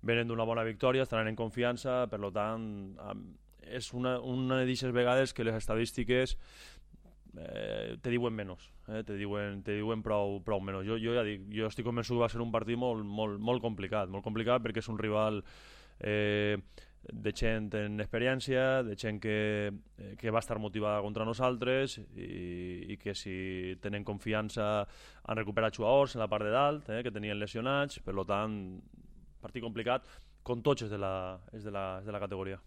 venen d'una bona victòria, estaran en confiança, per tant, és una d'aquestes vegades que les estadístiques te diuen menys, te diuen prou menys. Jo ja dic, jo estic convençut que va ser un partit molt complicat perquè és un rival de gent en experiència, de gent que va estar motivada contra nosaltres i que si tenen confiança han recuperat jugadors en la part de dalt, que tenien lesionats, per tant, partit complicat, com tots és de la categoria.